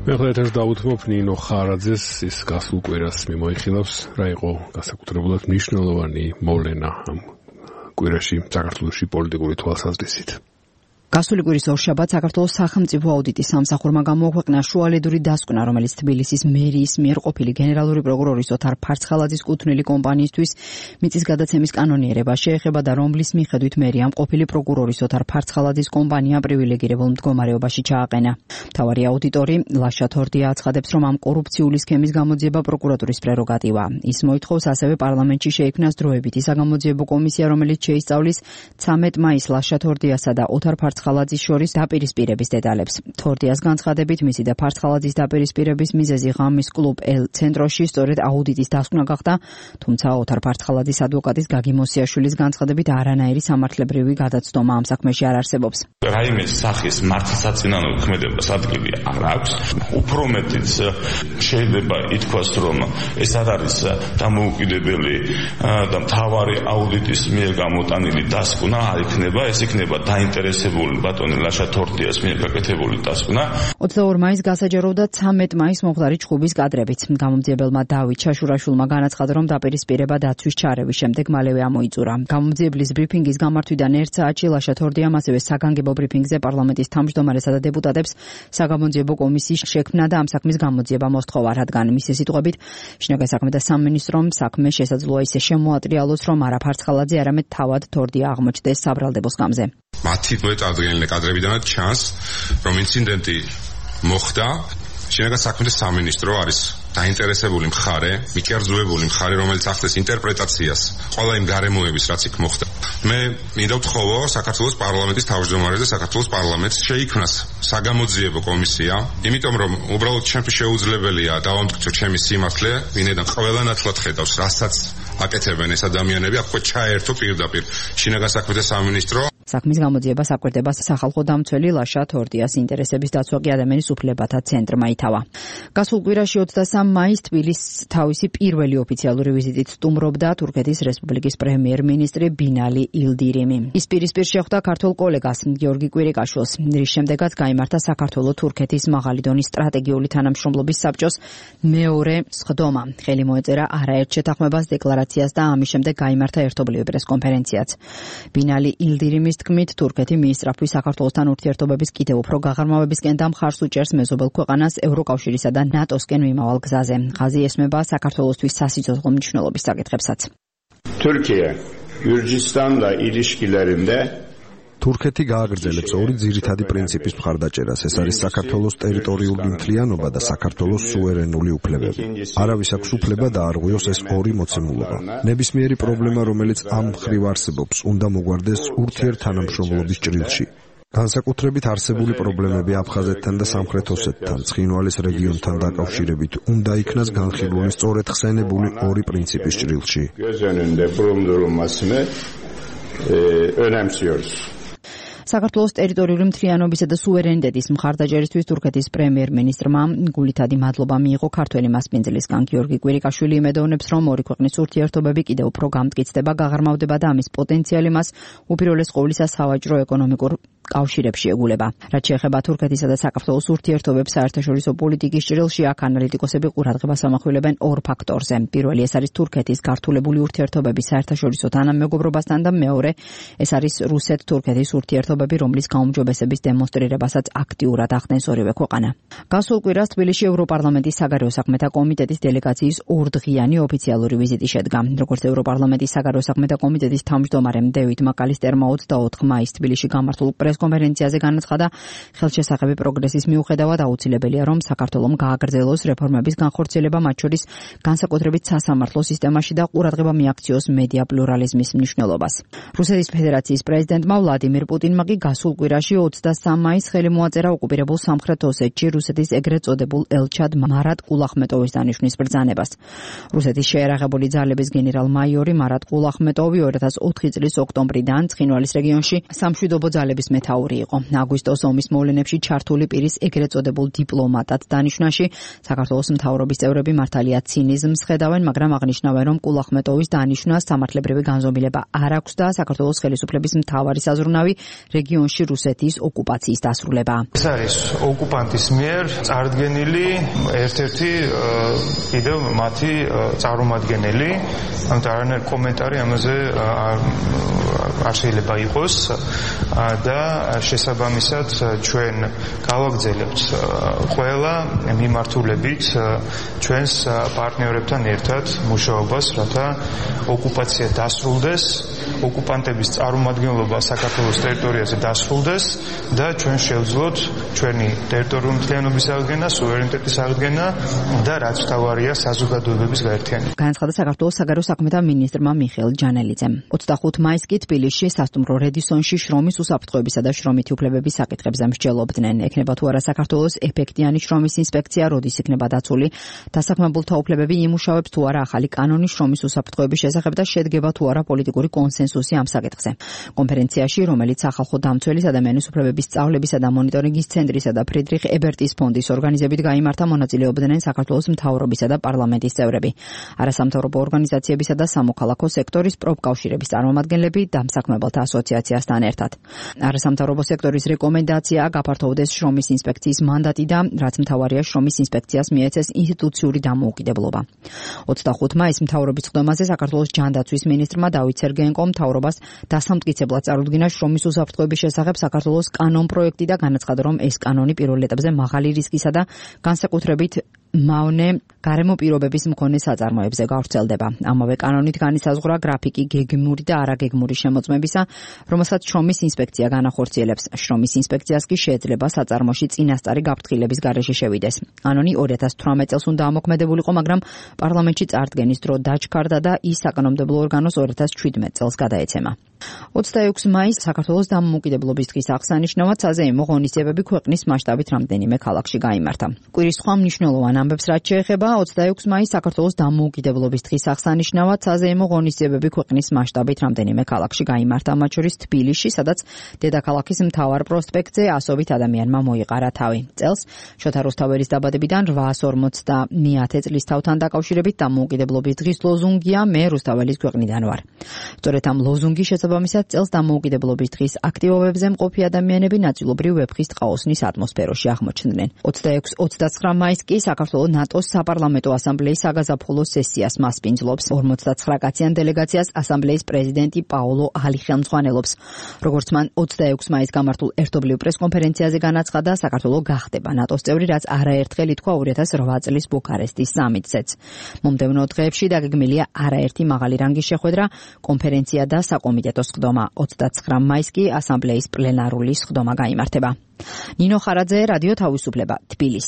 მეხლეთერს დაუთმობ ნინო ხარაძეს ის გასულ კვირას მიმოიხილავს რა იყო განსაკუთრებულად მნიშვნელოვანი მოვლენა ამ კვირაში საქართველოში პოლიტიკური თვალსაზრისით. გასული კვირის ორშაბათს საქართველოს სახელმწიფო აუდიტის სამსახურმა გამოაქვეყნა შუალედური დასკვნა, რომელიც თბილისის მერიის მიერ ყოფილი გენერალური პროკურორის ოთარ ფარცხალაძის კუთვნილი კომპანიისთვის მიწის გადაცემის კანონიერება შეეხება და რომლის მიხედვით მერიამ ყოფილი პროკურორის ოთარ ფარცხალაძის კომპანია პრივილეგირებულ მდგომარეობაში ჩააყენა. მთავარი აუდიტორი ლაშა თორდია აცხადებს, რომ ამ კორუფციული სქემის გამოძიება პროკურატურის პრეროგატივა. ის მოითხოვს ასევე პარლამენტში შეიქმნას დროებითი საგამოძიებო კომისია, რომელიც შეისწავლის 13 მაისს ლაშა თორდიასა და ოთარ ფარცხალაძის შორის დაპირისპირების დეტალებს. თორდიას განცხადებით, მისი და ფარცხალაძის დაპირისპირების მიზეზი ღამის კლუბ ელ ცენტროში სწორედ აუდიტის დასკვნა გახდა, თუმცა ოთარ ფარცხალაძის ადვოკატის გაგი მოსიაშვილის განცხადებით არანაირი სამართლებრივი გადაცდომა ამ საქმეში არ არსებობს. რაიმე სახის მართლსაწინააღმდეგო ქმედებას ადგილი არ აქვს. უფრო მეტიც შეიძლება ითქვას, რომ ეს არ არის დამოუკიდებელი და მთავარი აუდიტის მიერ გამოტანილი დასკვნა არ იქნება, ეს იქნება დაინტერესებული ბატონი ლაშა თორდიას მიერ გაკეთებული დასკვნა. 22 მაისს გასაჯაროვდა 13 მაისს მომხდარი ჩხუბის კადრებით. გამომძიებელმა დავით ჩაშურაშვილმა განაცხადა, რომ დაპირისპირება დაცვის ჩარევის შემდეგ მალევე ამოიწურა. გამომძიებლის ბრიფინგის გამართვიდან 1 საათში ლაშა თორდიამ ასევე საგანგებო ბრიფინგზე პარლამენტის თავმჯდომარესა და დეპუტატებს საგამოძიებო კომისიის შექმნა და ამ საქმის გამოძიება მოსთხოვა, რადგან მისი სიტყვებით შინაგან საქმეთა სამინისტრომ საქმე შესაძლოა ისე შემოატრიალოს, რომ არა ფარცხალაძე, არამედ თავად თორდია აღმოჩნდეს საბრალდებო სკამზე. მათი წარდგენილი კადრებიდანაც ჩანს, რომ ინციდენტი მოხდა. შინაგან საქმეთა სამინისტრო არის დაინტერესებული მხარე, მიკერძოებული მხარე, რომელიც ახდენს ინტერპრეტაციას ყველა იმ გარემოების, რაც იქ მოხდა. მე მინდა ვთხოვო საქართველოს პარლამენტის თავმჯდომარეს და საქართველოს პარლამენტს შეიქმნას საგამოძიებო კომისია, იმიტომ რომ უბრალოდ ჩემთვის შეუძლებელია დავამტკიცო ჩემი სიმართლე, ვინაიდან ყველა ნათლად ხედავს, რასაც აკეთებენ ეს ადამიანები, აქ ჩაერთო პირდაპირ შინაგან საქმეთა სამინისტრო. საქმის გამოძიება საკვირდება სახალხო დამცველი ლაშა თორდიას ინტერესების დაცვა კი ადამიანის უფლებათა ცენტრმა ითავა. გასულ კვირაში 23 მაისს თბილისს თავისი პირველი ოფიციალური ვიზიტით სტუმრობდა თურქეთის რესპუბლიკის პრემიერ-მინისტრი ბინალი ილდირიმი. ის პირისპირ შეხვდა ქართულ კოლეგას გიორგი კვირიკაშვილს, რის შემდეგაც გაიმართა საქართველო-თურქეთის მაღალი დონის სტრატეგიული თანამშრომლობის საბჭოს მეორე სხდომა. ხელი მოეწერა არაერთ შეთანხმებას, დეკლარაციას და ამის შემდეგ გაიმართა ერთობლივი პრესკონფერენციაც. ბინალი ილდირიმის თქმით, თურქეთი მიისწრაფვის საქართველოსთან ურთიერთობების კიდევ უფრო გაღრმავებისკენ და მხარს უჭერს მეზობელ ქვეყანას ევროკავშირისა და ნატოსკენ მიმავალ გზაზე. ხაზი ესმება საქართველოსთვის სასიცოცხლო მნიშვნელობის საკითხებსაც. Türkiye, Gürcistan'la ilişkilerinde თურქეთი გააგრძელებს ორი ძირითადი პრინციპის მხარდაჭერას. ეს არის საქართველოს ტერიტორიული მთლიანობა და საქართველოს სუვერენული უფლებები. არავის აქვს უფლება დაარღვიოს ეს ორი მოცემულობა. ნებისმიერი პრობლემა, რომელიც ამ მხრივ არსებობს, უნდა მოგვარდეს ურთიერთთანამშრომლობის ჭრილში. განსაკუთრებით არსებული პრობლემები აფხაზეთთან და სამხრეთ ოსეთთან, ცხინვალის რეგიონთან დაკავშირებით უნდა იქნას განხილული სწორედ ხსენებული ორი პრინციპის ჭრილში. საქართველოს ტერიტორიული მთლიანობისა და სუვერენიტეტის მხარდაჭერისთვის თურქეთის პრემიერ-მინისტრმა გულითადი მადლობა მიიღო ქართველი მასპინძლისგან. გიორგი კვირიკაშვილი იმედოვნებს, რომ ორი ქვეყნის ურთიერთობები კიდევ უფრო გამტკიცდება, გაღრმავდება და ამის პოტენციალი მას უპირველეს ყოვლისა სავაჭრო-ეკონომიკურ კავშირებში ეგულება. რაც შეეხება თურქეთისა და საქართველოს ურთიერთობებს საერთაშორისო პოლიტიკის ჭრილში, აქ ანალიტიკოსები ყურადღებას ამახვილებენ ორ ფაქტორზე. პირველი ეს არის თურქეთის გართულებული ურთიერთობები საერთაშორისო თანამეგობრობასთან და მეორე ეს არის რუსეთ-თურქეთის ურთიერთობები, რომლის გაუმჯობესების დემონსტრირებასაც აქტიურად ახდენს ორივე ქვეყანა. გასულ კვირას თბილისში ევროპარლამენტის საგარეო საქმეთა კომიტეტის დელეგაციის ორდღიანი ოფიციალური ვიზიტი შედგა. როგორც ევროპარლამენტის საგარეო საქმეთა კომიტეტის თავმჯდომარემ დევიდ მაკალისტერმა 24 მაისს თბილისში გამართულ პრესკონფერენციაზე განაცხადა, ხელშესახები პროგრესის მიუხედავად აუცილებელია, რომ საქართველომ გააგრძელოს რეფორმების განხორციელება, მათ შორის განსაკუთრებით სასამართლო სისტემაში და ყურადღება მიაქციოს მედია პლურალიზმის მნიშვნელობას. რუსეთის ფედერაციის პრეზიდენტმა ვლადიმირ პუტინმა კი გასულ კვირაში 23 მაისს ხელი მოაწერა ოკუპირებულ სამხრეთ ოსეთში რუსეთის ეგრეთ წოდებულ ელჩად მარატ ყულახმეტოვის დანიშვნის ბრძანებას. რუსეთის შეერაღებული ძალების გენერალ-მაიორი მარატ ყულახმეტოვი 2004 წლის ოქტომბრიდან ცხინვალის რეგიონში სამშვიდობო ძალების მეთაური იყო. აგვისტოს ომის მოვლენებში ჩართული პირის ეგრეთ წოდებულ დიპლომატად დანიშვნაში საქართველოს მთავრობის წევრები მართალია ცინიზმს ხედავენ, მაგრამ აღნიშნავენ, რომ ყულახმეტოვის დანიშვნას სამართლებრივი განზომილება არ აქვს და საქართველოს ხელისუფლების მთავარი საზრუნავი რეგიონში რუსეთის ოკუპაციის დასრულება. ეს არის ოკუპანტის მიერ წარდგენილი ერთ-ერთი კიდევ მათი წარმომადგენელი, ამიტომ არანაირი კომენტარი ამაზე არ შეიძლება იყოს და შესაბამისად ჩვენ გავაგრძელებთ ყველა მიმართულებით ჩვენს პარტნიორებთან ერთად მუშაობას, რათა ოკუპაცია დასრულდეს, ოკუპანტების წარმომადგენლობა საქართველოს ტერიტორიაზე დასრულდეს და ჩვენ შევძლოთ ჩვენი ტერიტორიული მთლიანობის აღდგენა, სუვერენიტეტის აღდგენა და რაც მთავარია საზოგადოებების გაერთიანება. განაცხადა საქართველოს საგარეო საქმეთა მინისტრმა მიხეილ ჯანელიძემ. 25 მაისს კი თბილისში სასტუმრო რედისონში შრომის უსაფრთხოებისა და შრომითი უფლებების საკითხებზე მსჯელობდნენ. ექნება თუ არა საქართველოს ეფექტიანი შრომის ინსპექცია, როდის იქნება დაცული, დასაქმებულთა უფლებები იმუშავებს თუ არა ახალი კანონი შრომის უსაფრთხოების შესახებ და შედგება თუ არა პოლიტიკური კონსენსუსი ამ საკითხზე. კონფერენციაში, რომელიც სახალხო დამცველის ადამიანის უფლებების სწავლებისა და მონიტორინგის ცენტრისა და ფრიდრიხ ებერტის ფონდის ორგანიზებით გაიმართა, მონაწილეობდნენ საქართველოს მთავრობისა და პარლამენტის წევრები, არასამთავრობო ორგანიზაციებისა და სამოქალაქო სექტორის პროფკავშირების წარმომადგენლები დამსაქმებელთა ასოციაციასთან ერთად. არასამთავრობო სექტორის რეკომენდაცია გაფართოვდეს შრომის ინსპექციის მანდატი და რაც მთავარია შრომის ინსპექციას მიეცეს ინსტიტუციური დამოუკიდებლობა. 25 მაისს მთავრობის ხდომაზე საქართველოს ჯანდაცვის მინისტრმა დავით სერგეენკომ მთავრობას დასამტკიცებლად წარუდგინა შრომის უსაფრთხოების შესახებ საქართველოს კანონ-პროექტი და განაცხადა, რომ ეს კანონი პირველ ეტაპზე მაღალი რისკისა და განსაკუთრებით მავნე გარემო პირობების მქონე საწარმოებზე გავრცელდება. ამავე კანონით განისაზღვრა გრაფიკი გეგმური და არაგეგმური შემოწმებისა, რომელსაც შრომის ინსპექცია განახორციელებს. შრომის ინსპექციას კი შეიძლება საწარმოში წინასწარი გაფრთხილების გარეშე შევიდეს. კანონი 2018 წელს უნდა ამოქმედებულიყო, მაგრამ პარლამენტში წარდგენის დრო დაჩქარდა და ის საკანონმდებლო ორგანოს 2017 წელს გადაეცემა. 26 მაისს საქართველოს დამოუკიდებლობის დღის აღსანიშნავად საზეიმო ღონისძიებები ქვეყნის მასშტაბით რამდენიმე ქალაქში გაიმართა. კვირის სხვა მნიშვნელოვან ამბებს რაც შეეხება 26 მაისს საქართველოს დამოუკიდებლობის დღის აღსანიშნავად საზეიმო ღონისძიებები ქვეყნის მასშტაბით რამდენიმე ქალაქში გაიმართა, მათ შორის თბილისში, სადაც დედაქალაქის მთავარ პროსპექტზე ასობით ადამიანმა მოიყარა თავი. წელს შოთა რუსთაველის დაბადებიდან 849 წლის თავთან დაკავშირებით დამოუკიდებლობის დღის ლოზუნგია „მე რუსთაველის ქვეყნიდან ვარ“. სწორედ ამ ლოზუნგის შესაბამისად წელს დამოუკიდებლობის დღის აქტივობებზე მყოფი ადამიანები ნაწილობრივ ვეფხის ტყაოსნის ატმოსფეროში აღმოჩნდნენ. 26-29 მაისს კი საქართველოს ნატოს საპარლამენტო ასამბლეის საგაზაფხულო სესიას მასპინძლობს. 59 კაციან დელეგაციას ასამბლეის პრეზიდენტი პაოლო ალი ხელმძღვანელობს. როგორც მან 26 მაისს გამართულ ერთობლივ პრესკონფერენციაზე განაცხადა, საქართველოს გახდება ნატოს წევრი, რაც არაერთხელ ითქვა 2008 წლის ბუქარესტის სამიტზეც. მომდევნო დღეებში დაგეგმილია არაერთი მაღალი რანგის შეხვედრა, კონფერენცია და საკომიტეტო სხდომა. 29 მაისს კი ასამბლეის პლენარული სხდომა გაიმართება. ნინო ხარაძე, რადიო თავისუფლება, თბილისი.